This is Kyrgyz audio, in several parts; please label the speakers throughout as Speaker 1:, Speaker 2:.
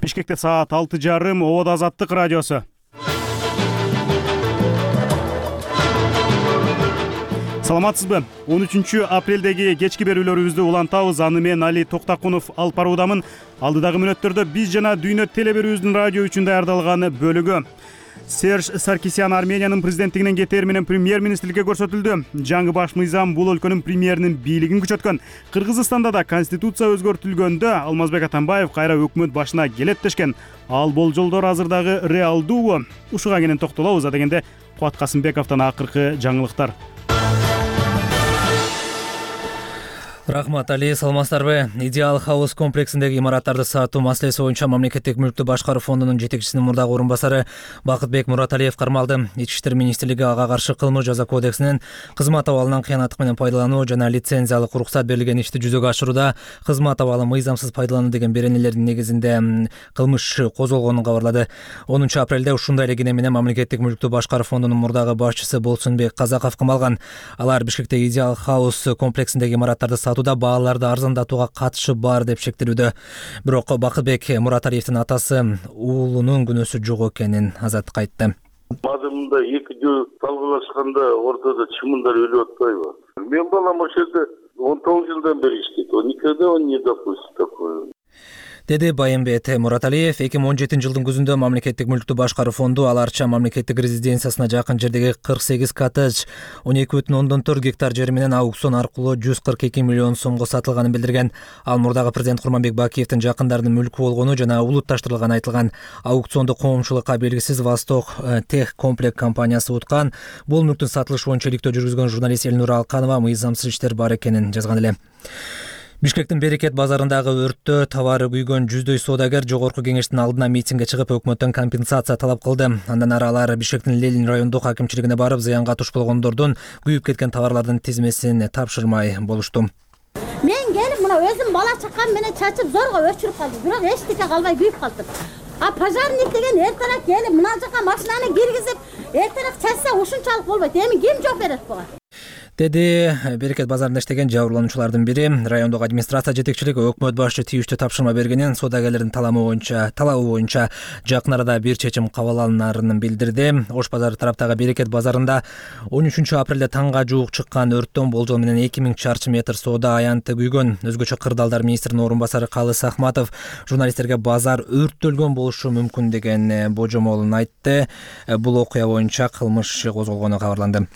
Speaker 1: Бишкекте саат 6:30. Обод Азаттык радиосу. Саламатсызбы? 13 апрелдеги кечки берүүлөрүбүздү улантабыз. Аны мен Али Токтакунов алып баруудамын. Алдыдагы мүнөттөрдө биз жана Дүйнө телеберүүбүздүн радио үчүн даярдалган бөлүгү. Серж Саркисян Армениянын президенттигинен кетээр менен премьер-министрликке көрсөтүлдү. Жаңы баш мыйзам бул өлкөнүн премьеринин бийлигин күчөткөн. Кыргызстанда да конституция өзгөртүлгөндө Алмазбек Атамбаев кайра өкмөт башына келет дешкен. Ал болжолдор азырдагы реалдуубу? Ушуга кенен токтолобуз. Адегенде Кубат Касымбековдон акыркы жаңылыктар.
Speaker 2: Рахмат, Али, саламатсыздарбы? Идеал хаус комплексиндеги имараттарды сатуу маселеси боюнча мамлекеттик мүлктү башкаруу фондунун жетекчисинин мурдагы орун басары Бакытбек Мураталиев кармалды. Ички иштер министрлиги ага каршы кылмыш жаза кодексинин кызмат абалынан кыянаттык менен пайдалануу жана лицензиялык уруксат берилген ишти жүзөгө ашырууда кызмат абалын мыйзамсыз пайдалануу деген беренелердин негизинде кылмыш козголгонун кабарлады. 10 апрелде ушундай эле кене менен мамлекеттик мүлктү башкаруу фондунун мурдагы башчысы Болсунбек Казаков камалган. Алар Бишкекте идеал хаус комплексиндеги имараттарды сатууда бааларды арзандатууга катышы бар деп шектелүүдө. Бирок Бакытбек Мураталиевдин атасы уулунун күнөөсү жок экенин Азаттыкка айтты.
Speaker 3: Мазмунда эки жөө талкуулашканда ортодо чымындар өлүп атпайбы? Мен балам ошол жерде 19 жылдан бери иштейт. Никогда он не допустит такое.
Speaker 2: Деди Байымбет Мураталиев. 2017 жылдын күзүндө мамлекеттик мүлктү башкаруу фонду аларча мамлекеттик резиденциясына жакын жердеги 48 коттедж 12,4 гектар жери менен аукцион аркылуу 142 миллион сомго сатылганын билдирген. Ал мурдагы президент Курманбек Бакиевдин жакындарынын мүлкү болгону жана улутташтырылганы айтылган. Аукционду коомчулукка белгисиз Восток Тех комплект компаниясы уткан. Бул мүлктүн сатылышы боюнча иликтөө жүргүзгөн журналист Элнура Алканова мыйзамсыз иштер бар экенин жазган эле. Бишкектин Берекет базарындагы өрттө товары күйгөн жүздөй соодагер жогорку кеңештин алдына митингге чыгып өкмөттөн компенсация талап кылды. Андан ары алар Бишкектин Ленин райондук акимчилигине барып, зыянга туш болгондордун күйүп кеткен товарлардын тизмесин тапшырмай болушту.
Speaker 4: Мен келип мына өзүм бала чакам менен чачып зорго өчүрүп калдым. Бирок эчтеке калбай күйүп калдым. А пожарник деген эртерээк келип мына жака машинаны киргизип, эртерээк чачса ушунчалык болбойт. Эми ким жооп берет буга?
Speaker 2: Деди Берекет базарында иштеген жабырлануучулардын бири. Райондук администрация жетекчилиги өкмөт башчы тийиштүү тапшырма бергенин, соодагерлердин талабы боюнча жакын арада бир чечим кабыл алынарын билдирди. Ош базары тараптагы Берекет базарында 13 апрелде таңга жуук чыккан өрттөн болжол менен 2000 чарчы метр соода аянты күйгөн. Өзгөчө кырдаалдар министринин орун басары Калыс Ахматов журналисттерге базар өрттөлгөн болушу мүмкүн деген божомолун айтты. Бул окуя боюнча кылмыш козголгону кабарланды.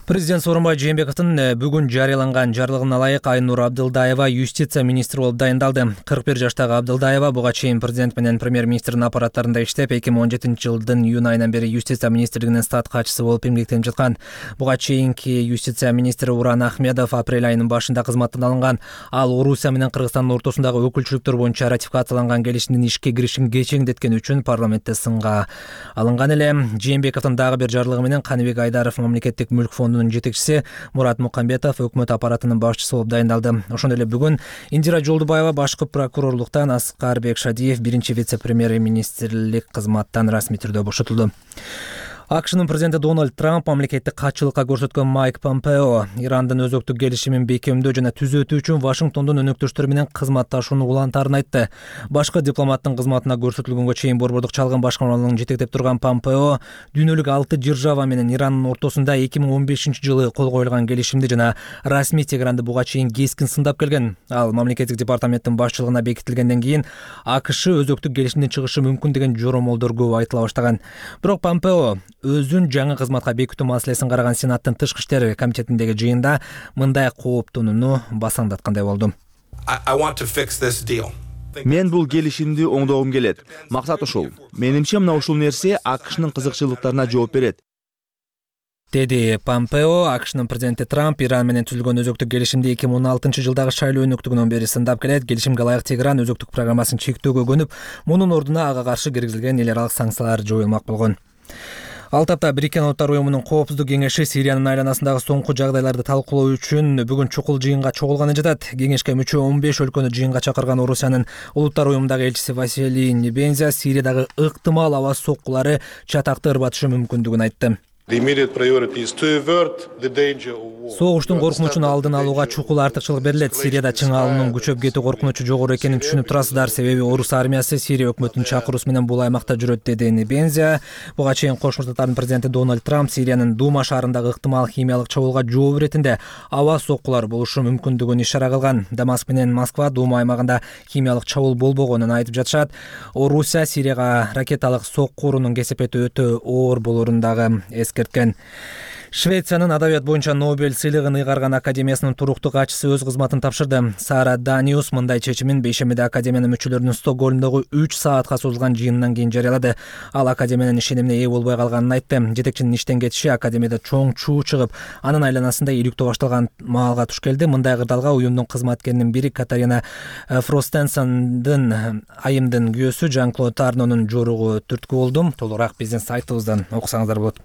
Speaker 2: Президент Сооронбай Жээнбековдун бүгүн жарыяланган жарлыгына ылайык Айнур Абдылдаева юстиция министри болуп дайындалды. 41 жаштагы Абдылдаева буга чейин президент менен премьер-министрдин аппараттарында иштеп, 2017 жылдын июнь айынан бери юстиция министрлигинин стат катчысы болуп эмгектенип жаткан. Буга чейинки юстиция министри Уран Ахмедов апрель айынын башында кызматтан алынган. Ал Орусия менен Кыргызстандын ортосундагы өкүлчүлүктөр боюнча ратификацияланган келишимдин ишке киришин кечеңдеткени үчүн парламентте сынга алынган эле. Жээнбековдун дагы бир жарлыгы менен Каныбек Айдаров мамлекеттик мүлк фондунун жетекчиси, Мурат Мукамбетов өкмөт аппаратынын башчысы болуп дайындалды. Ошондой эле бүгүн Индира Жолдубаева башкы прокурорлуктан, Аскарбек Шадиев биринчи вице-премьер-министрлик кызматтан расмий түрдө бошотулду. АКШнын президенти Дональд Трамп мамлекеттик катчылыкка көрсөткөн Майк Помпео Ирандын өзөктүк келишимин бекемдөө жана түзөтүү үчүн Вашингтондун өнөктөштөрү менен кызматташууну улантаарын айтты. Башкы дипломаттын кызматына көрсөтүлгөнгө чейин борбордук чалгын башкармалыгын жетектеп турган Помпео дүйнөлүк 6 держава менен Ирандын ортосунда 2015 жылы кол коюлган келишимди жана расмий Тегеранды буга чейин кескин сындап келген. Ал мамлекеттик департаменттин башчылыгына бекитилгенден кийин АКШ өзөктүк келишимден чыгышы мүмкүн деген жоромолдор көп айтыла баштаган. Бирок Помпео өзүн жаңы кызматка бекитүү маселесин караган Сенаттын тышкы иштер комитетиндеги жыйында мындай кооптонууну басаңдаткандай болду.
Speaker 5: Мен бул келишимди оңдогум келет. Максат ушул. Менимче мына ушул нерсе АКШнын кызыкчылыктарына жооп берет.
Speaker 2: Деди Помпео. АКШнын президенти Трамп Иран менен түзүлгөн өзөктүк келишимди 2016 жылдагы шайлоо өнөктүгүнөн бери сындап келет. Келишимге ылайык Тегеран өзөктүк программасын чектөөгө көнүп, мунун ордуна ага каршы киргизилген эл аралык санкциялар жоюлмак болгон. Ал тапта Бириккен Улуттар уюмунун коопсуздук кеңеши Сириянын айланасындагы соңку жагдайларды талкуулоо үчүн бүгүн чукул жыйынга чогулганы жатат. Кеңешке мүчө 15 өлкөнү жыйынга чакырган Орусиянын Улуттар уюмундагы элчиси Василий Небензя Сириядагы ыктымал аба соккулары чатакты ырбатышы мүмкүндүгүн айтты. Согуштун коркунучун алдын алууга чукул артыкчылык берилет. Сирияда чың алуунун күчөп кетүү коркунучу жогору экенин түшүнүп турасыздар. Себеби орус армиясы Сирия өкмөтүнүн чакыруусу менен бул аймакта жүрөт, деди Небензия. Буга чейин Кошмо Штаттардын президенти Дональд Трамп Сириянын Дума шаарындагы ыктымал химиялык чабуулга жооп иретинде аба соккулар болушу мүмкүндүгүн ишара кылган. Дамаск менен Москва Дума аймагында химиялык чабуул болбогонун айтып жатышат. Орусия Сирияга ракеталык соккурунун кесепети өтө оор болорун дагы эскерткен. Швециянын адабият боюнча Нобель сыйлыгын ыйгарган академиясынын туруктуу катчысы өз кызматын тапшырды. Сара Даниус мындай чечимин бейшембиде академиянын мүчөлөрүнүн Стокгольмдогу 3 саатка созулган жыйынынан кийин жарыялады. Ал академиянын ишенимине ээ болбой калганын айтты. Жетекчинин иштен кетиши академияда чоң чуу чыгып, анын айланасында иликтөө башталган маалга туш келди. Мындай кырдаалга уюмдун кызматкеринин бири Катарина Фростенсендин айымдын күйөөсү Жан-Клод Арнонун жоругу түрткү болду. Толугураак биздин сайтыбыздан окусаңыздар болот.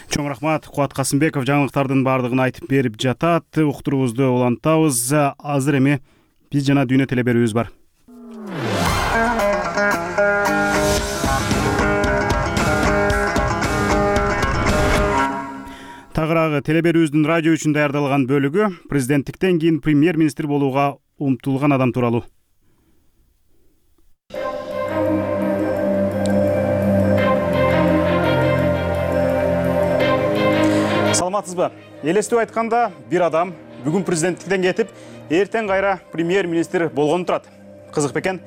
Speaker 1: Чоң рахмат. Кубат Касымбеков жаңылыктардын баардыгын айтып берип жатат. Уктуруубузду улантабыз. Азыр эми биз жана дүйнө теле берүүбүз бар. Тагыраагы теле берүүбүздүн радио үчүн даярдалган бөлүгү президенттиктен кийин премьер-министр болууга умтулган адам тууралуу. Саламатсызбы? Элестеп айтканда, бир адам бүгүн президенттиктен кетип, эртең кайра премьер-министр болгону турат. Кызык бекен?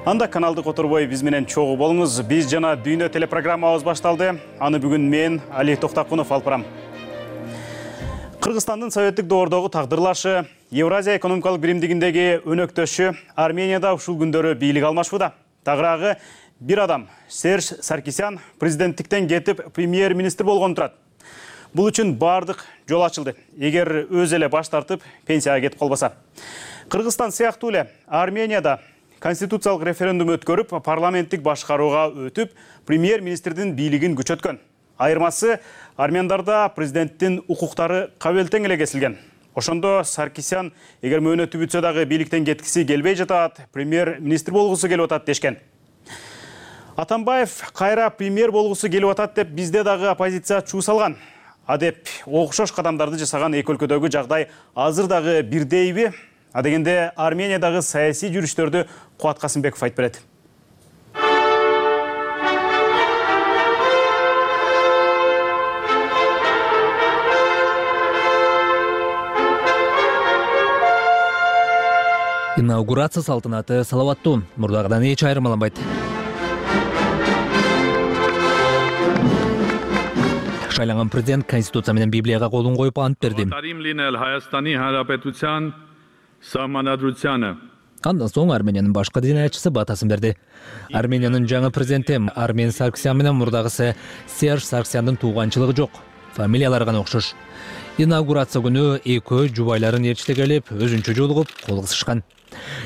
Speaker 1: Анда каналды которбой биз менен чогуу болуңуз. Биз жана дүйнө телепрограммабыз башталды. Аны бүгүн мен, Али Токтакунов алып барам. Кыргызстандын советтик доордогу тагдырлашы, Евразия экономикалык биримдигиндеги өнөктөшү Арменияда ушул күндөрү бийлик алмашууда. Тагыраагы бир адам, Серж Саркисян, президенттиктен кетип премьер-министр болгону турат. Бул үчүн бардык жол ачылды. Эгер өз эле баш тартып, пенсияга кетип калбаса. Кыргызстан сыяктуу эле Арменияда конституциялык референдум өткөрүп, парламенттик башкарууга өтүп, премьер-министрдин бийлигин күчөткөн. Айырмасы армяндарда президенттин укуктары кабыл тең эле кесилген. Ошондо Саркисян эгер мөөнөтү бүтсө дагы бийликтен кеткиси келбей жатат, премьер-министр болгусу келип атат дешкен. Атамбаев кайра премьер болгусу келип атат деп бизде дагы оппозиция чуу салган. Адеп окшош кадамдарды жасаган эки өлкөдөгү жагдай азыр дагы бирдейби? Адегенде Армениядагы саясий жүрүштөрдү Кубат Касымбеков айтып берет.
Speaker 2: Инаугурация салтанаты салаваттуу, мурдагыдан эч айырмаланбайт. Шайланган президент Конституция менен Библияга колун коюп ант берди. Андан соң Армениянын башкы динаятчысы батасын берди. Армениянын жаңы президенти Армен Саркисян менен мурдагысы Серж Саркисяндын тууганчылыгы жок. Фамилиялары гана окшош. Инаугурация күнү экөө жубайларын ээрчите келип, өзүнчө жолугуп, кол кысышкан.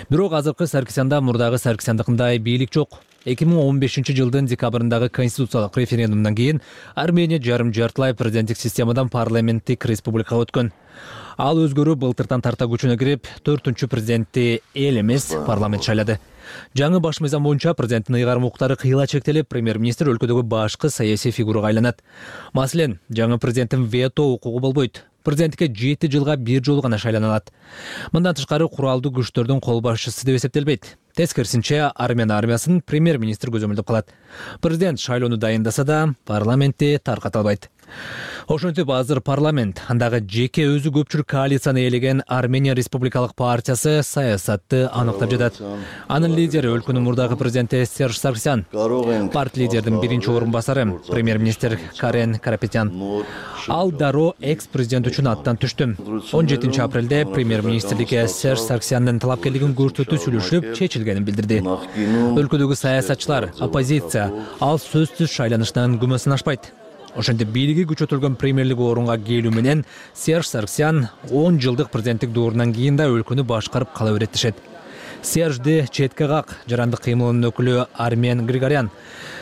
Speaker 2: Бирок азыркы Саркисянда мурдагы Саркисяндыкындай бийлик жок. 2015-жылдын декабрындагы конституциялык референдумдан кийин Армения жарым-жартылай президенттик системадан парламенттик республикага өткөн. Ал өзгөрүү былтыртан тарта күчүнө кирип, 4-үнчү президентти эл эмес парламент шайлады. Жаңы баш мыйзам боюнча президенттин ыйгарым укуктары кыйла чектелип, премьер-министр өлкөдөгү башкы саясий фигурага айланат. Маселен, жаңы президенттин вето укугу болбойт. Президентке 7 жылга бир жолу гана шайлана алат. Мындан тышкары куралдуу күчтөрдүн кол башчысы деп эсептелбейт. Тескерисинче, Армения армиясын премьер-министр көзөмөлдөп калат. Президент шайлоону дайындаса да, парламентти тарката албайт. Ошентип азыр парламент, андагы жеке өзү көпчүлүк коалицияны ээлеген Армения Республикалык партиясы саясатты аныктап жатат. Анын лидери өлкөнүн мурдагы президенти Серж Саркисян, партия лидердин биринчи орун басары премьер-министр Карен Карапетян. Ал дароо экс-президент үчүн аттан түштү. 17 апрелде премьер-министрликке Серж Саркисяндын талапкерлигин көрсөтүү сүйлөшүлүп чечилгенин билдирди. Өлкөдөгү саясатчылар, оппозиция ал сөзсүз шайланышынан күмөсүн ашпайт. Ошентип бийлиги күчөтүлгөн премьерлик орунга келүү менен Серж Саркисян 10 жылдык президенттик доорунан кийин да өлкөнү башкарып кала берет дешет. Сержди четке как жарандык кыймылынын өкүлү Армен Григорян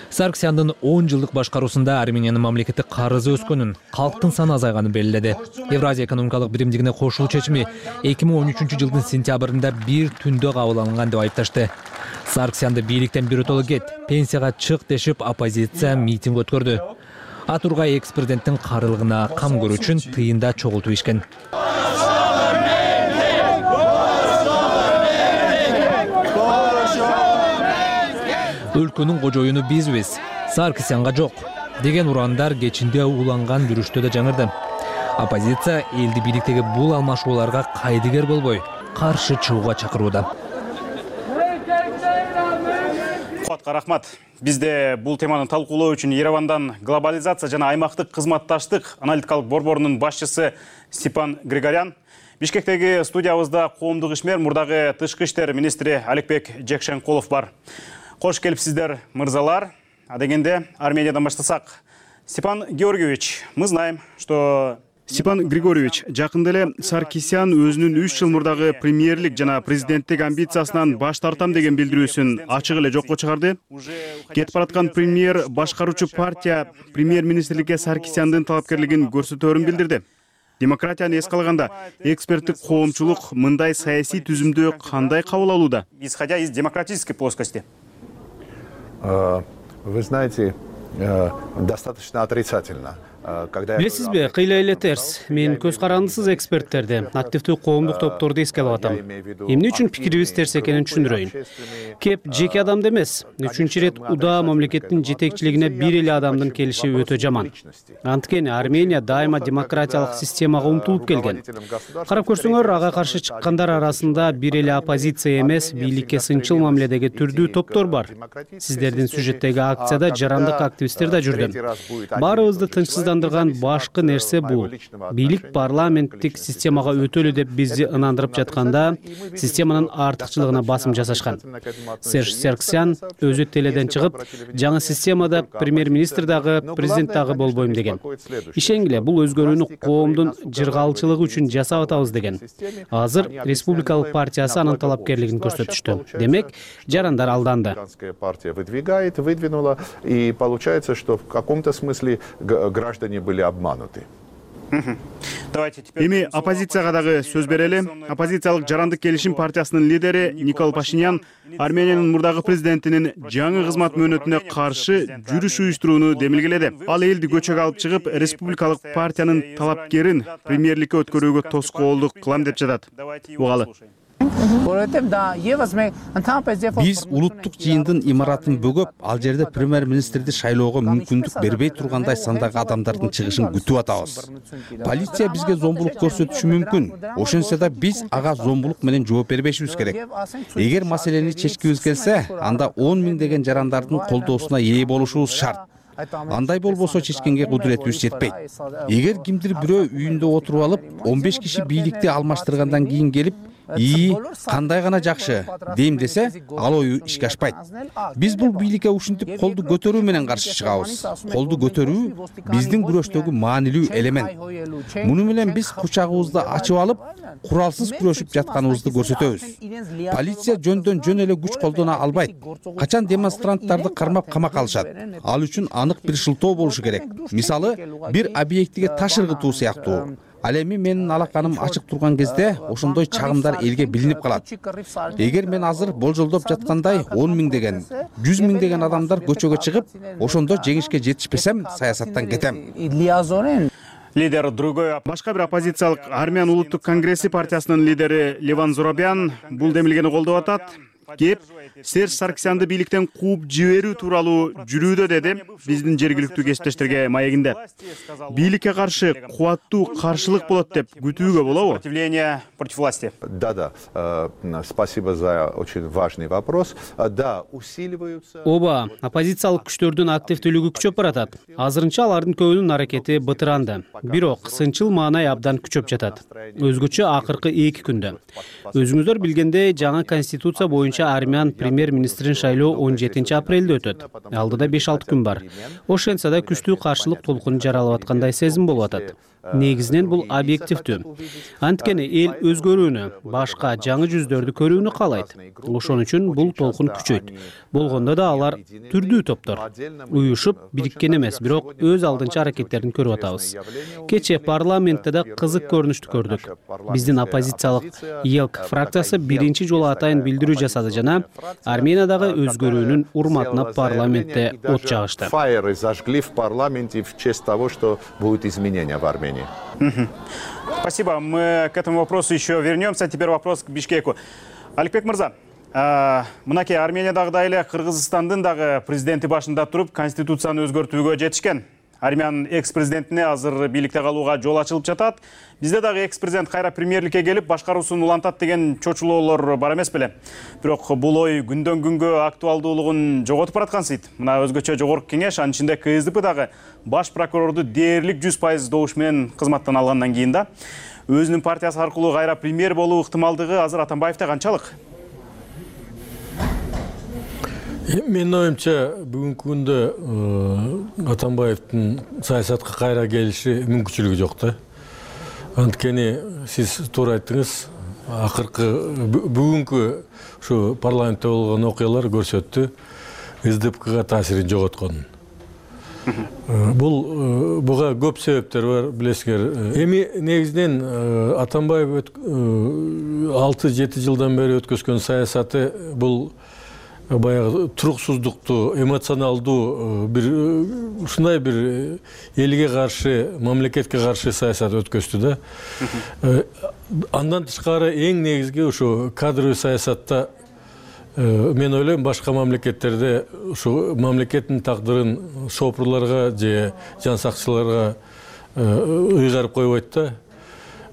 Speaker 2: Саркисяндын 10 жылдык башкаруусунда Армениянын мамлекеттик карызы өскөнүн, калктын саны азайганын белгиледи. Евразия экономикалык биримдигине кошулуу чечими 2013-жылдын сентябрында бир түндө кабыл алынган деп айыпташты. Саркисянды бийликтен биротоло кет, пенсияга чык дешип оппозиция митинг өткөрдү. Атургай экс-президенттин карылыгына кам көрүү үчүн тыйында чогултуп ишкен. Өлкөнүн кожоюну бизбиз, Саркисянга жок деген урандар кечинде уланган жүрүштө да жаңырды. Оппозиция элди бийликтеги бул алмашууларга кайдыгер болбой, каршы чыгууга чакырууда.
Speaker 1: Куатка рахмат. Бизде бул теманы талкуулоо үчүн Еревандан глобализация жана аймактык кызматташтык аналитикалык борборунун башчысы Степан Григорян, Бишкектеги студиябызда коомдук ишмер мурдагы тышкы иштер министри Аликбек Жекшенкулов бар. Кош келипсиздер, мырзалар. А дегенде Армениядан баштасак. Степан Георгиевич, мы знаем, что... Степан Григорьевич, жакында эле Саркисян өзүнүн 3 жыл мурдагы премьерлик жана президенттик амбициясынан баш тартам деген билдирүүсүн ачык эле жокко чыгарды. Кетип бараткан премьер башкаруучу партия премьер-министрликке Саркисяндын талапкерлигин көрсөтөөрүн билдирди. Демократияны эске алганда, эксперттик коомчулук мындай саясий түзүмдү кандай кабыл алууда? Исходя из демократической плоскости.
Speaker 6: Вы знаете, достаточно отрицательно.
Speaker 7: Билесизби, кыйла эле терс. Мен көз карандысыз эксперттерди, активдүү коомдук топторду эмне атам. Эмне үчүн пикирибиз терс экенин түшүндүрөйүн. Кеп жеке адамды эмес, 3-чү ирет удаа мамлекеттин жетекчилигине бир эле адамдын келиши өтө жаман. Анткени Армения дайыма демократиялык системага умтулуп келген. Карап көрсөңөр, ага каршы чыккандар арасында бир эле оппозиция эмес, бийликке сынчыл мамиледеги түрдүү топтор бар. Сиздердин сюжеттеги акцияда жарандык активисттер да жүрдү. Баарыбызды тынчсыздандырган башкы нерсе бул. Бийлик парламенттик системага өтөлү деп бизди ынандырып жатканда, системанын артыкчылыгына басым жасашкан. Серж Саркисян өзү теледен чыгып, жаңы системада премьер-министр дагы, президент дагы болбойм деген. Ишенгиле, бул өзгөрүүнү коомдун жыргалчылыгы үчүн жасап атабыз деген. Азыр Республикалык партиясы анын талапкерлигин көрсөтүштү. Демек, жарандар алданды.
Speaker 6: Партия выдвинула, и получается, что в каком-то смысле граждане были обмануты.
Speaker 1: Эми оппозицияга дагы сөз берели. Оппозициялык жарандык келишим партиясынын лидери Никол Пашинян Армениянын мурдагы президентинин жаңы кызмат мөөнөтүнө каршы жүрүш уюштурууну демилгеледи. Ал элди көчөгө алып чыгып, республикалык партиянын талапкерин премьерликке өткөрүүгө тоскоолдук кылам деп жатат. Угалы.
Speaker 8: Биз улуттук жыйындын имаратын бөгөп, ал жерде премьер-министрди шайлоого мүмкүндүк бербей тургандай сандагы адамдардын чыгышын күтүп атабыз. Полиция бизге зомбулук көрсөтүшү мүмкүн. Ошентсе да биз ага зомбулук менен жооп бербешибиз керек. Эгер маселени чечкибиз келсе, анда 10 миңдеген жарандардын колдоосуна ээ болушубуз шарт. Андай болбосо чечкенге кудуретибиз жетпейт. Эгер кимдир бирөө үйүндө отуруп алып, 15 киши бийликти алмаштыргандан кийин келип, кандай гана жакшы дейм десе, ал ою ишке ашпайт. Биз бул бийликке ушинтип колду көтөрүү менен каршы чыгабыз. Колду көтөрүү биздин күрөштөгү маанилүү элемент. Муну менен биз кучагыбызды ачып алып, куралсыз күрөшүп жатканыбызды көрсөтөбүз. Полиция жөндөн жөн эле күч колдоно албайт. Качан демонстранттарды кармап камакка алышат. Ал үчүн анык бир шылтоо болушу керек. Мисалы, бир объектиге таш ыргытуу сыяктуу. Ал эми менин алаканым ачык турган кезде ошондой чагымдар элге билинип калат. Эгер мен азыр болжолдоп жаткандай 10 миңдеген, 100 миңдеген адамдар көчөгө чыгып, ошондо жеңишке жетишпесем, саясаттан кетем.
Speaker 1: Лидер другой. Башка бир оппозициялык Армян улуттук конгресси партиясынын лидери Леван Зурабян бул демилгени колдоп атат. Кеп Серж Саркисянды бийликтен кууп жиберүү тууралуу жүрүүдө деди биздин жергиликтүү кесиптештерге маегинде. Бийликке каршы кубаттуу каршылык болот деп күтүүгө болобу? Сопротивление против власти.
Speaker 6: Да, спасибо за очень важный вопрос. Да, усиливаются.
Speaker 7: Оба, оппозициялык күчтөрдүн активдүүлүгү күчөп баратат. Азырынча алардын көбүнүн аракети бытыранды. Бирок сынчыл маанай абдан күчөп жатат. Өзгөчө акыркы 2 күндө. Өзүңүздөр билгендей, жаңы конституция боюнча армян премьер-министрин шайлоо 17 апрелде өтөт. Алдыда 5-6 күн бар. Ошентсе да күчтүү каршылык толкуну жаралып аткандай сезим болуп атат. Негизинен бул объективдүү. Анткени эл өзгөрүүнү, башка жаңы жүздөрдү көрүүнү каалайт. Ошон үчүн бул толкун күчөйт. Болгондо да алар түрдүү топтор. Уюшуп, бириккен эмес, бирок өз алдынча аракеттерин көрүп атабыз. Кече парламентте да кызык көрүнүштү көрдүк. Биздин оппозициялык ЕЛК фракциясы биринчи жолу атайын билдирүү жасады кылды жана Армениядагы өзгөрүүнүн урматына парламентте от жагышты.
Speaker 6: Фаеры зажгли в парламенте в честь того, что будут изменения в Армении.
Speaker 1: Спасибо. Мы к этому вопросу еще вернемся. Теперь вопрос к Бишкеку. Аликбек мырза, мынакей Армениядагыдай эле Кыргызстандын дагы президенти башында туруп конституцияны өзгөртүүгө жетишкен. Армян экс-президентине азыр бийликте калууга жол ачылып жатат. Бизде дагы экс-президент кайра премьерликке келип башкаруусун улантат деген чочулоолор бар эмес беле. Бирок бул ой күндөн күнгө актуалдуулугун жоготуп бараткансыйт. Мына өзгөчө жогорку кеңеш, анын ичинде КСДП дагы баш прокурорду дээрлик 100% добуш менен кызматтан алгандан кийин да өзүнүн партиясы аркылуу кайра премьер болуу ыктымалдыгы азыр Атамбаевде канчалык?
Speaker 9: Менин оюмча бүгүнкү күндө Атамбаевдин саясатка кайра келиши мүмкүнчүлүгү жок да. Анткени сиз туура айттыңыз, акыркы бүгүнкү ушу парламентте болгон окуялар көрсөттү СДПКга таасирин жоготконун. Буга көп себептер бар, билесиңер. Эми негизинен Атамбаев 6-7 жылдан бери өткөзгөн саясаты бул баягы туруксуздукту, эмоционалдуу ушундай бир элге каршы, мамлекетке каршы саясат өткөздү да. Андан тышкары эң негизги ушу кадровый саясатта мен ойлойм башка мамлекеттерде ушу мамлекеттин тагдырын шопурларга же жан сакчыларга ыйгарып койбойт да.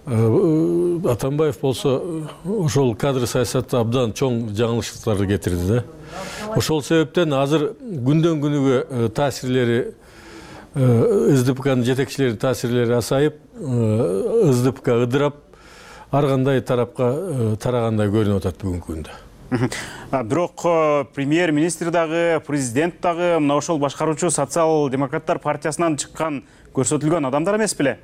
Speaker 9: Атамбаев болсо ошол кадр саясатта абдан чоң жаңылыштыктарды кетирди да. Ошол себептен азыр күндөн күнүгө таасирлери СДПКнын жетекчилеринин таасирлери асайып, СДПК ыдырап, ар кандай тарапка тарагандай көрүнүп атат бүгүнкү күндө.
Speaker 1: Бирок премьер-министр дагы, президент дагы мына ошол башкаруучу социал-демократтар партиясынан чыккан көрсөтүлгөн адамдар эмес беле?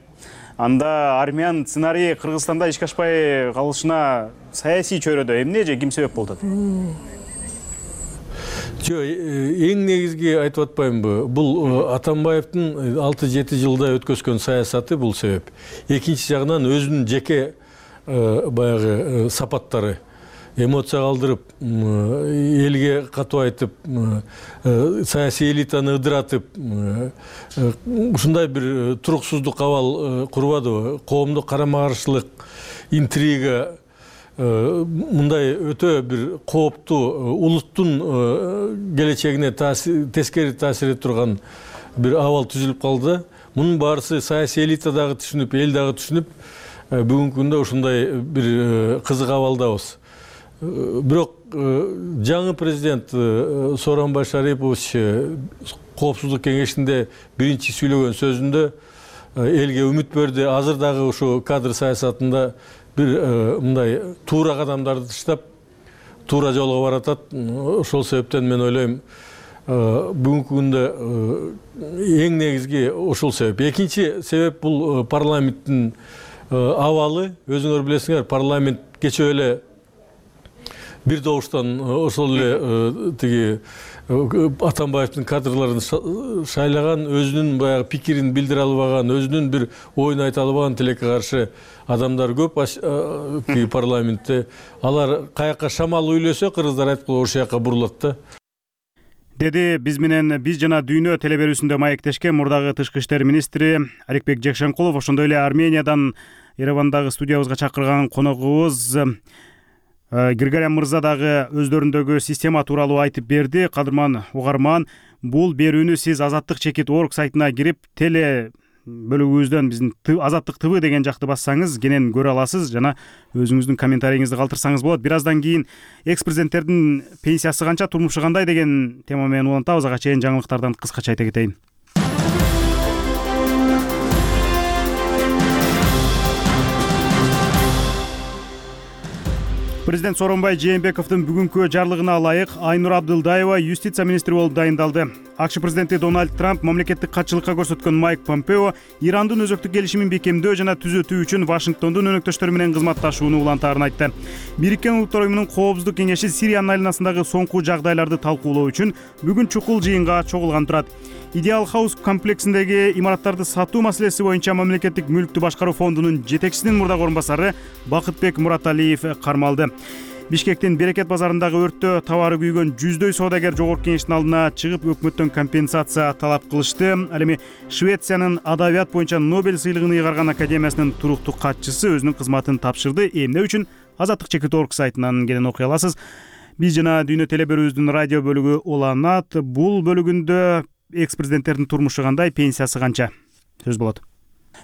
Speaker 1: Анда армян сценарий Кыргызстанда ишке ашпай калышына саясий чөйрөдө эмне же ким себеп болуп атат?
Speaker 9: Жок, эң негизги айтып атпаймынбы? Бул Атамбаевдин 6-7 жылда өткөзгөн саясаты бул себеп. Экинчи жагынан өзүнүн жеке баягы сапаттары, эмоция калтырып, элге катуу айтып, саясий элитаны ыдыратып, ушундай бир туруксуздук абал курбадыбы? Коомдук карама-каршылык, интрига, мындай өтө бир кооптуу, улуттун келечегине тескери таасир этип турган бир абал түзүлүп калды. Мунун баарысы саясий элита дагы түшүнүп, эл дагы түшүнүп, бүгүнкү күндө ушундай бир кызык абалдабыз. Бирок жаңы президент Сооронбай Шарипович коопсуздук кеңешинде биринчи сүйлөгөн сөзүндө элге үмүт берди. Азыр дагы ушу кадр саясатында бир мындай туура кадамдарды таштап, туура жолго баратат. Ошол себептен мен ойлойм, бүгүнкү күндө эң негизги ошол себеп. Экинчи себеп бул парламенттин абалы. Өзүңөр билесиңер, парламент кечээ эле бир добуштан ошол эле тиги Атамбаевдин кадрларын шайлаган, өзүнүн баягы пикирин билдире албаган, өзүнүн бир оюн айта албаган тилекке каршы адамдар көп парламентте. Алар каяка шамал үйлөсө, кыргыздар айткылы ошол жака бурулат да.
Speaker 1: Деди биз менен Биз жана Дүйнө телеберүүсүндө маектешкен мурдагы тышкы иштер министри Аликбек Жекшенкулов. Ошондой эле Армениядан Еревандагы студиябызга чакырган коногубуз Григорян мырза дагы өздөрүндөгү система тууралуу айтып берди. Кадырман угарман, бул берүүнү сиз Азаттык чекит орг сайтына кирип, теле бөлүгүбүздөн биздин Азаттык ТВ деген жакты бассаңыз кенен көрө аласыз жана өзүңүздүн комментарийиңизди калтырсаңыз болот. Бир аздан кийин экс-президенттердин пенсиясы канча, турмушу кандай деген тема менен улантабыз. Ага чейин жаңылыктардан кыскача айта кетейин. Президент Сооронбай Жээнбековдун бүгүнкү жарлыгына ылайык Айнур Абдылдаева юстиция министри болуп дайындалды. АКШ президенти Дональд Трамп мамлекеттик катчылыкка көрсөткөн Майк Помпео Ирандын өзөктүк келишимин бекемдөө жана түзөтүү үчүн Вашингтондун өнөктөштөрү менен кызматташууну улантаарын айтты. Бириккен Улуттар уюмунун Коопсуздук кеңеши Сириянын айланасындагы соңку жагдайларды талкуулоо үчүн бүгүн чукул жыйынга чогулган турат. Идеал Хаус комплексиндеги имараттарды сатуу маселеси боюнча мамлекеттик мүлктү башкаруу фондунун жетекчисинин мурдагы орун басары Бакытбек Мураталиев кармалды. Бишкектин Берекет базарындагы өрттө табары күйгөн жүздөй соодагер жогорку кеңештин алдына чыгып өкмөттөн компенсация талап кылышты. Ал эми Швециянын адабият боюнча Нобель сыйлыгын ыйгарган академиясынын туруктуу катчысы өзүнүн кызматын тапшырды. Эмне үчүн? Азаттык Чекит.org сайтынан келен окуя аласыз. Биз жана Дүйнө телеберүүбүздүн радио бөлүгү уланат. Бул бөлүгүндө экс-президенттердин турмушу кандай, пенсиясы канча? Сөз болот.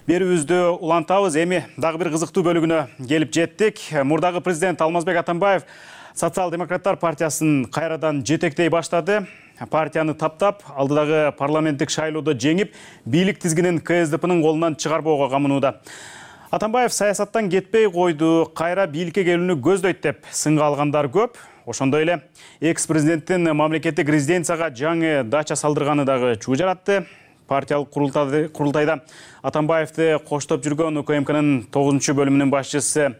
Speaker 1: Берүүбүздү улантабыз. Эми дагы бир кызыктуу бөлүгүнө келип жеттик. Мурдагы президент Алмазбек Атамбаев Социал-демократтар партиясын кайрадан жетектей баштады. Партияны таптап, алдыдагы парламенттик шайлоодо жеңип, бийлик тизгинин КСДПнын колунан чыгарбоого камынууда. Атамбаев саясаттан кетпей койду, кайра бийликке келүүнү көздөйт деп сынга алгандар көп. Ошондой эле экс-президенттин мамлекеттик резиденцияга жаңы дача салдырганы дагы чуу жаратты. Партиялык курултайда Атамбаевди коштоп жүргөн УКМКнын 9 бөлүмүнүн башчысы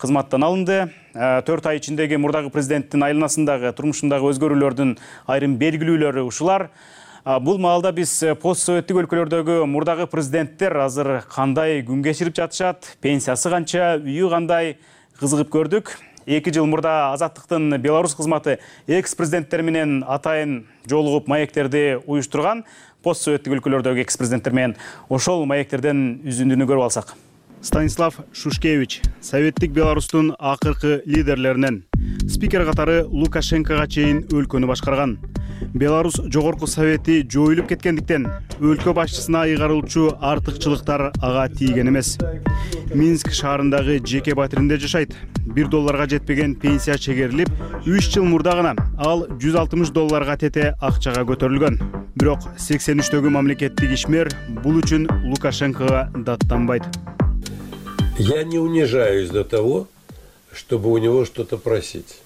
Speaker 1: кызматтан алынды. 4 ай ичиндеги мурдагы президенттин айланасындагы, турмушундагы өзгөрүүлөрдүн айрым белгилүүлөрү ушулар. Бул маалда биз постсоветтик өлкөлөрдөгү мурдагы президенттер азыр кандай күн кечирип жатышат, пенсиясы канча, үйү кандай кызыгып көрдүк. 2 жыл мурда Азаттыктын Беларусь кызматы экс-президенттер менен атайын жолугуп маектерди уюштурган. Постсоветтик өлкөлөрдөгү экс-президенттер менен ошол маектерден үзүндүнү көрүп алсак. Станислав Шушкевич, советтик Беларустун акыркы лидерлеринен. Спикер катары Лукашенкога чейин өлкөнү башкарган. Беларусь жогорку совети жоюлуп кеткендиктен өлкө башчысына ыйгарылчу артыкчылыктар ага тийген эмес. Минск шаарындагы жеке батиринде жашайт. $1 жетпеген пенсия чегерилип, 3 жыл мурда гана ал $160 тете акчага көтөрүлгөн. Бирок 83-төгү мамлекеттик ишмер бул үчүн Лукашенкога даттанбайт.
Speaker 10: Я не унижаюсь до того, чтобы у него что-то просить.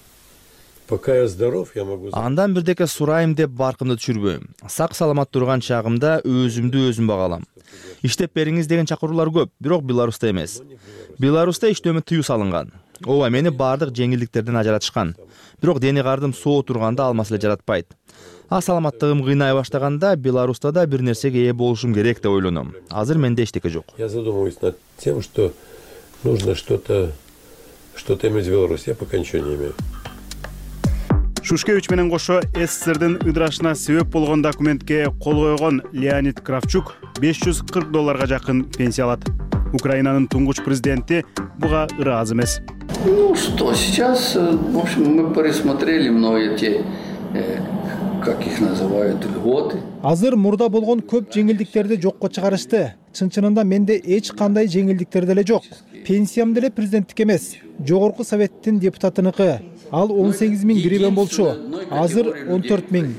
Speaker 10: Пока я здоров, я могу...
Speaker 5: Андан бирдеке сурайым деп баркымды түшүрбөйм. Сак саламат турган чагымда өзүмдү өзүм багалам. Иштеп бериңиз деген чакыруулар көп, бирок Беларуста эмес. Беларуста иштөөмө тыюу салынган. Ооба, мени бардык жеңилдиктерден ажыратышкан. Бирок дене кардым соо турганда алмас эле жаратпайт. А саламаттыгым кыйнай баштаганда Беларуста да бир нерсеге ээ болушум керек деп ойлоном. Азыр менде эчтеке жок.
Speaker 10: Я задумываюсь над тем, что нужно что-то иметь в Беларуси. Я пока ничего не имею.
Speaker 1: Шушкевич менен кошо СССРдин ыдырашына себеп болгон документке кол койгон Леонид Кравчук $540 жакын пенсия алат. Украинанын туңгуч президенти буга ыраазы эмес.
Speaker 11: Ну что, сейчас, в общем, мы пересмотрели многие те, как их называют, льготы.
Speaker 12: Азыр мурда болгон көп жеңилдиктерди жокко чыгарышты. Чын-чынында менде эч кандай жеңилдиктер деле жок. Пенсиям деле президенттик эмес, жогорку советтин депутатыныкы. Ал 18.000 гривен болчу. Азыр 14.000.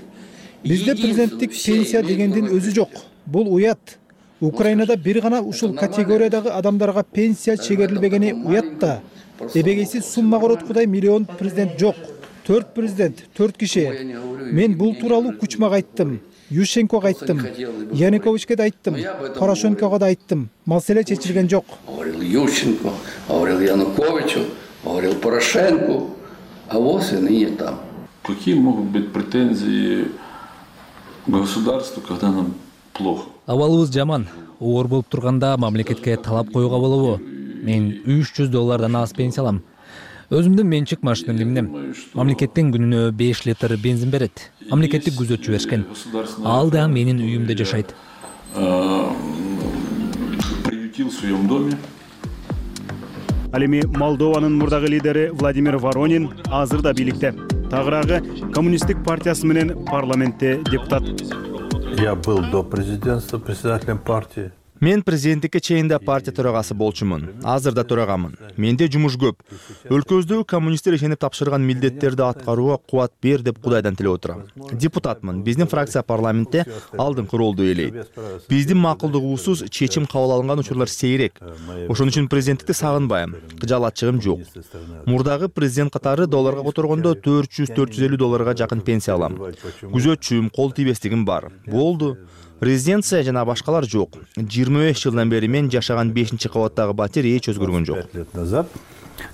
Speaker 12: Бизде президенттик пенсия дегендин өзү жок. Бул уят. Украинада бир гана ушул категориядагы адамдарга пенсия чегерилбегени уят да. Эбегейси сумма короткудай миллион президент жок. 4 президент, 4 киши. Мен бул тууралуу Кучмага айттым, Ющенкого айттым, Януковичке да айттым, Порошенкого да айттым. Маселе чечилген жок.
Speaker 11: Говорил Ющенко, говорил Януковичу, говорил Порошенко, а вот и ныне там.
Speaker 13: Какие могут быть претензии государству, когда нам плохо?
Speaker 2: Абалыбыз жаман. Оор болуп турганда мамлекетке талап коюуга болобу? Мен $300 аз пенсия алам. Өзүмдүн менчик машинамды минем. Мамлекеттен күнүнө 5 литр бензин берет. Мамлекеттик күзөтчү беришкен. Ал да менин үйүмдө жашайт.
Speaker 13: Приютил в своем доме.
Speaker 1: Ал эми Молдованын мурдагы лидери Владимир Воронин азыр да бийликте. Тагыраагы коммунисттик партиясы менен парламентте депутат.
Speaker 10: Я был до президентства председателем партии.
Speaker 5: Мен президенттикке чейин да партия төрагасы болчумун. Азыр да төрагамын. Менде жумуш көп. Өлкөбүздөгү коммунисттер ишенип тапшырган милдеттерди аткарууга кубат бер деп Кудайдан тилеп отурам. Депутатмын. Биздин фракция парламентте алдыңкы ролду ээлейт. Биздин макулдугубуз чечим кабыл алынган учурлар сейрек. Ошон үчүн президенттикти сагынбайм. Кыжаалатчыгым жок. Мурдагы президент катары долларга которгондо $400-450 жакын пенсия алам. Күзөтчүм, кол тийбестигим бар. Болду. Резиденция жана башкалар жок. 25 жылдан бери мен жашаган 5-кабаттагы батир эч өзгөргөн жок.
Speaker 10: 5 лет назад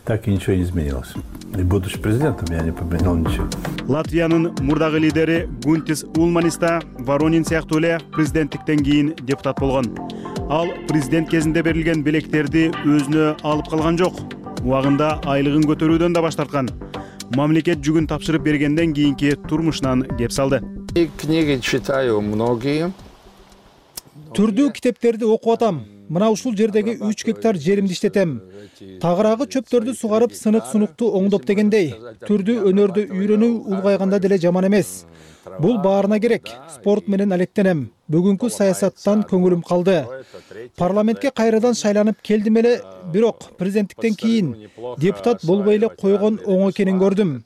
Speaker 10: так и ничего не изменилось. И будучи президентом я не поменял ничего.
Speaker 1: Латвиянын мурдагы лидери Гунтис Улманиста Воронин сыяктуу эле президенттиктен кийин депутат болгон. Ал президент кезинде берилген белектерди өзүнө алып калган жок. Убагында айлыгын көтөрүүдөн да баш тарткан. мамлекет жүгүн тапшырып бергенден кийинки турмушунан кеп салды.
Speaker 14: Книги читаю многие.
Speaker 12: Түрдүү китептерди окуп атам. Мына ушул жердеги 3 гектар жеримди иштетем. Тагыраагы чөптөрдү сугарып, сынык-сунукту оңдоп дегендей. Түрдүү өнөрдү үйрөнүү улгайганда деле жаман эмес. Бул баарына керек. Спорт менен алектенем. Бүгүнкү саясаттан көңүлүм калды. Парламентке кайрадан шайланып келдим эле, бирок президенттиктен кийин депутат болбой эле койгон оң экенин көрдүм.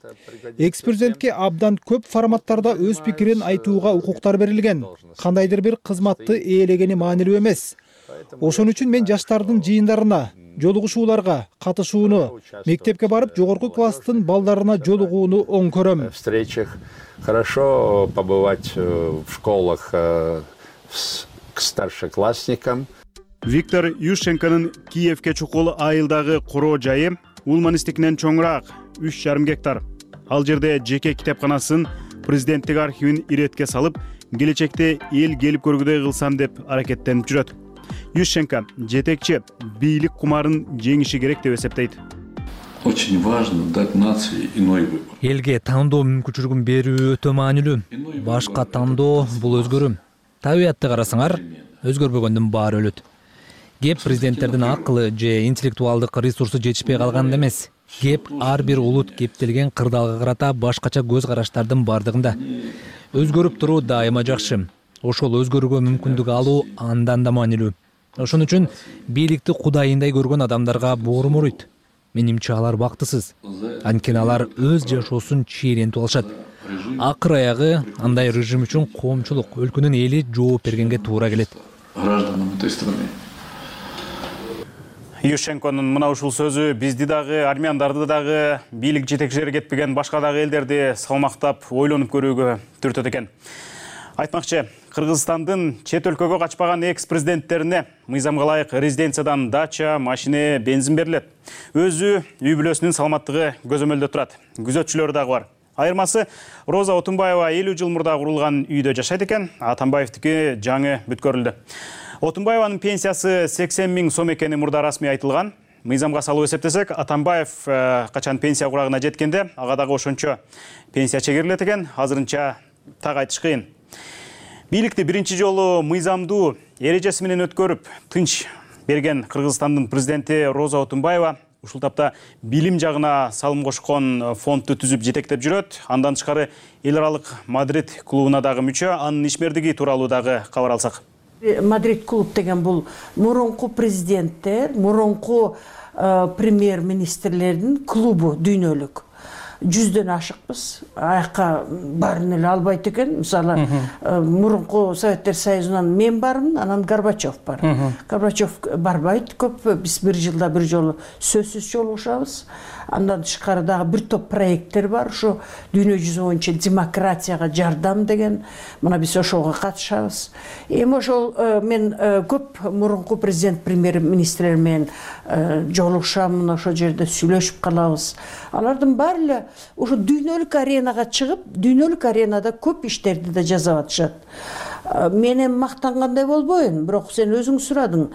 Speaker 12: Экс-президентке абдан көп форматтарда өз пикирин айтууга укуктар берилген. Кандайдыр бир кызматты ээлегени маанилүү эмес. Ошон үчүн мен жаштардын жыйындарына, жолугушууларга катышууну, мектепке барып жогорку класстын балдарына жолугууну оң көрөм.
Speaker 14: Хорошо побывать в школах к старшеклассникам.
Speaker 1: Виктор Ющенконун Киевке чукул айылдагы короо жайы Улманистикинен чоңураак 3,5 гектар. Ал жерде жеке китепканасын, президенттик архивин иретке салып, келечекте эл келип көргүдөй кылсам деп аракеттенип жүрөт. Ющенко жетекчи бийлик кумарын жеңиши керек деп эсептейт.
Speaker 13: Очень важно дать нации иной выбор.
Speaker 2: Элге тандоо мүмкүнчүлүгүн берүү өтө маанилүү. Башка тандоо бул өзгөрүү. Табиятты карасаңар, өзгөрбөгөндүн баары өлөт. Кеп президенттердин акылы же интеллектуалдык ресурсу жетишпей калганда эмес. Кеп ар бир улут кептелген кырдаалга карата башкача көз караштардын бардыгында. Өзгөрүп туруу дайыма жакшы. Ошол өзгөрүүгө мүмкүндүк алуу андан да маанилүү. Ошон үчүн бийликти кудайындай көргөн адамдарга боорум ооруйт. Менимче алар бактысыз. Анткени алар өз жашоосун чийлентип алышат. Акыр аягы андай режим үчүн коомчулук, өлкөнүн эли жооп бергенге туура келет.
Speaker 13: Гражданам этой страны.
Speaker 1: Ющенконун мына ушул сөзү бизди дагы, армяндарды дагы, бийлик жетекчилери кетпеген башка дагы элдерди салмактап, ойлонуп көрүүгө түртөт экен. Айтмакчы, Кыргызстандын чет өлкөгө качпаган экс-президенттерине мыйзамга ылайык резиденциядан дача, машина, бензин берилет. Өзү үй бүлөсүнүн саламаттыгы көзөмөлдө турат. Күзөтчүлөрү дагы бар. Айырмасы Роза Отунбаева 50 жыл мурда курулган үйдө жашайт экен, Атамбаевдики жаңы бүткөрүлдү. Отунбаеванын пенсиясы 80 000 сом экени мурда расмий айтылган. Мыйзамга салып эсептесек, Атамбаев качан пенсия курагына жеткенде, ага дагы ошончо пенсия чегерилет экен, азырынча так айтыш кыйын. Бийликти биринчи жолу мыйзамдуу эрежеси менен өткөрүп, тынч берген Кыргызстандын президенти Роза Отунбаева ушул тапта билим жагына салым кошкон фондду түзүп жетектеп жүрөт. Андан тышкары эл аралык Мадрид клубуна дагы мүчө, анын ишмердиги тууралуу дагы кабар алсак.
Speaker 15: Мадрид клуб деген бул мурунку президенттер, мурунку премьер-министрлердин клубу дүйнөлүк. 100дөн ашыкпыз. Аяққа барын эле албайт экен. Мисалы, мурунку Советтер Союзунан мен бармын, анан Горбачев бар. Горбачев барбайт көп. Биз бир жылда бир жолу сөзсүз жолугушабыз. Андан тышкары дагы бир топ проекттер бар. Ушу дүйнө жүзү боюнча демократияга жардам деген. Мына биз ошого катышабыз. Эми ошол мен көп мурунку президент, премьер-министрлер менен жолугушам, ошол жерде сүйлөшүп калабыз. Алардын баары эле ошо дүйнөлүк аренага чыгып, дүйнөлүк аренада көп иштерди да жасап атышат. Менен мактангандай болбойм, бирок сен өзүң сурадың.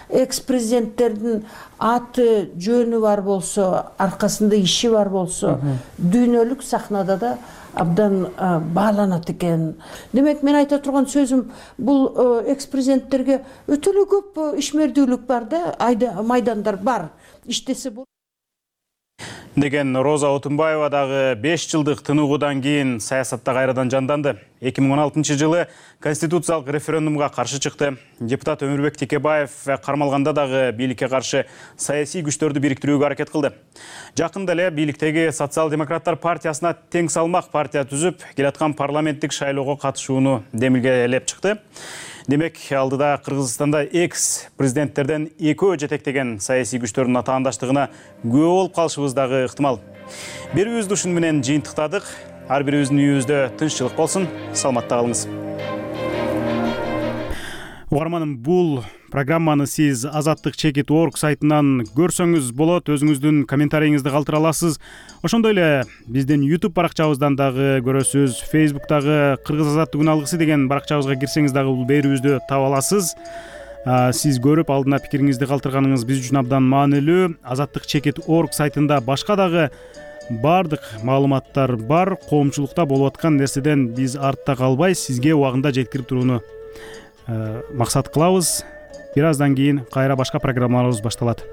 Speaker 15: Экс-президенттердин аты, жөнү бар болсо, аркасында иши бар болсо, дүйнөлүк сахнада да абдан бааланат экен. Демек, мен айта турган сөзүм, бул экс-президенттерге өтө эле көп ишмердүүлүк бар да, майдандар бар. Иштесе болот.
Speaker 1: Деген Роза Отунбаева дагы 5 жылдык тынугудан кийин саясатта кайрадан жанданды. 2016 жылы конституциялык референдумга каршы чыкты. Депутат Өмүрбек Текебаев кармалганда дагы бийликке каршы саясий күчтөрдү бириктирүүгө аракет кылды. Жакында эле бийликтеги Социал-демократтар партиясына тең салмак партия түзүп, келаткан парламенттик шайлоого катышууну демилгелеп чыкты. Демек, алдыда Кыргызстанда экс-президенттерден экөө жетектеген саясий күчтөрдүн атаандаштыгына күбө болуп калышыбыз дагы ыктымал. Берүүбүздү ушун менен жыйынтыктадык. Ар бирибиздин үйүбүздө тынччылык болсун. Саламатта калыңыз. Угарманым, бул программаны сиз azattik.org сайтынан көрсөңүз болот, өзүңүздүн комментарийиңизди калтыра аласыз. Ошондой эле биздин YouTube баракчабыздан дагы көрөсүз. Facebook'тагы Кыргыз Азаттык күн алгысы деген баракчабызга кирсеңиз дагы бул берүүбүздү таба аласыз. Сиз көрүп, алдына пикириңизди калтырганыңыз биз үчүн абдан маанилүү. azattik.org сайтында башка дагы баардык маалыматтар бар. Коомчулукта болуп аткан нерседен биз артта калбай сизге убагында жеткирип турууну максат кылабыз. Бир аздан кийин кайра башка программаларыбыз башталат.